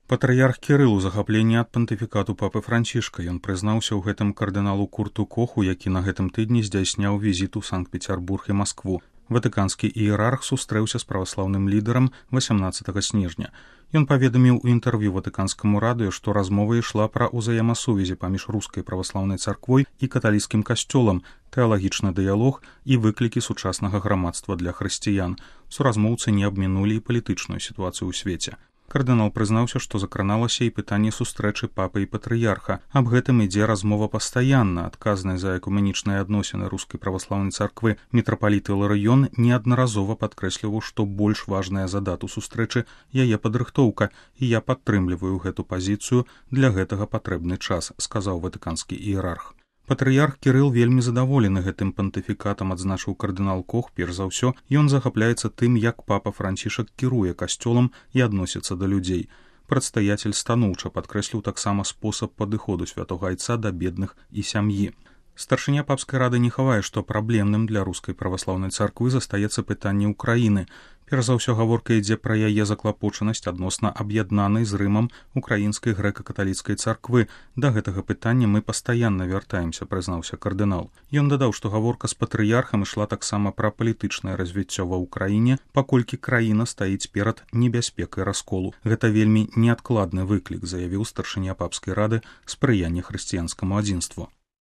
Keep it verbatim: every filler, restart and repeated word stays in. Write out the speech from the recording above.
Патрыярх Кірыл у захапленні ад пантыфікату папы Францішка. Ён прызнаўся ў гэтым кардыналу Курту Коху, які на гэтым тыдні здзяйсняў візіт у Санкт-Пецярбург і Маскву. Ватыканскі іерарх сустрэўся з праваслаўным лідарам васямнаццатага снежня. Ён паведаміў у інтэрв'ю ватыканскаму радыё, што размова ішла пра ўзаемасувязі паміж рускай праваслаўнай царквой і каталіцкім касцёлам, тэалагічны дыялог і выклікі сучаснага грамадства для хрысціян. Суразмоўцы не абмінулі і палітычную сітуацыю ў свеце. Кардынал прызнаўся, што закраналася і пытанне сустрэчы папы і патрыярха. Аб гэтым ідзе размова пастаянна. Адказны за экуменічныя адносіны рускай праваслаўнай царквы мітрапаліт Іларыён неаднаразова падкрэсліваў, што больш важная за дату сустрэчы яе падрыхтоўка, і я падтрымліваю гэту пазіцыю, для гэтага патрэбны час, сказаў ватыканскі іерарх. Патрыярх Кірыл вельмі задаволены гэтым пантыфікатам, адзначыў кардынал Кох. Перш за ўсё, ён захапляецца тым, як папа Францішак кіруе касцёлам і адносіцца да людзей. Прадстаятель станоўча падкрэсліў таксама спосаб падыходу святога айца да бедных і сям'і. Старшыня папскай рады не хавае, што праблемным для рускай праваслаўнай царквы застаецца пытанне ўкраіны. Перш за ўсё гаворка ідзе пра яе заклапочанасць адносна аб'яднанай з Рымам украінскай грэка-каталіцкай царквы. Да гэтага пытання мы пастаянна вяртаемся, прызнаўся кардынал. Ён дадаў, што гаворка з патрыярхам ішла таксама пра палітычнае развіццё ва ўкраіне, паколькі краіна стаіць перад небяспекай расколу. Гэта вельмі неадкладны выклік, заявіў старшыня папскай рады спрыяння хрысціянскаму адзінству.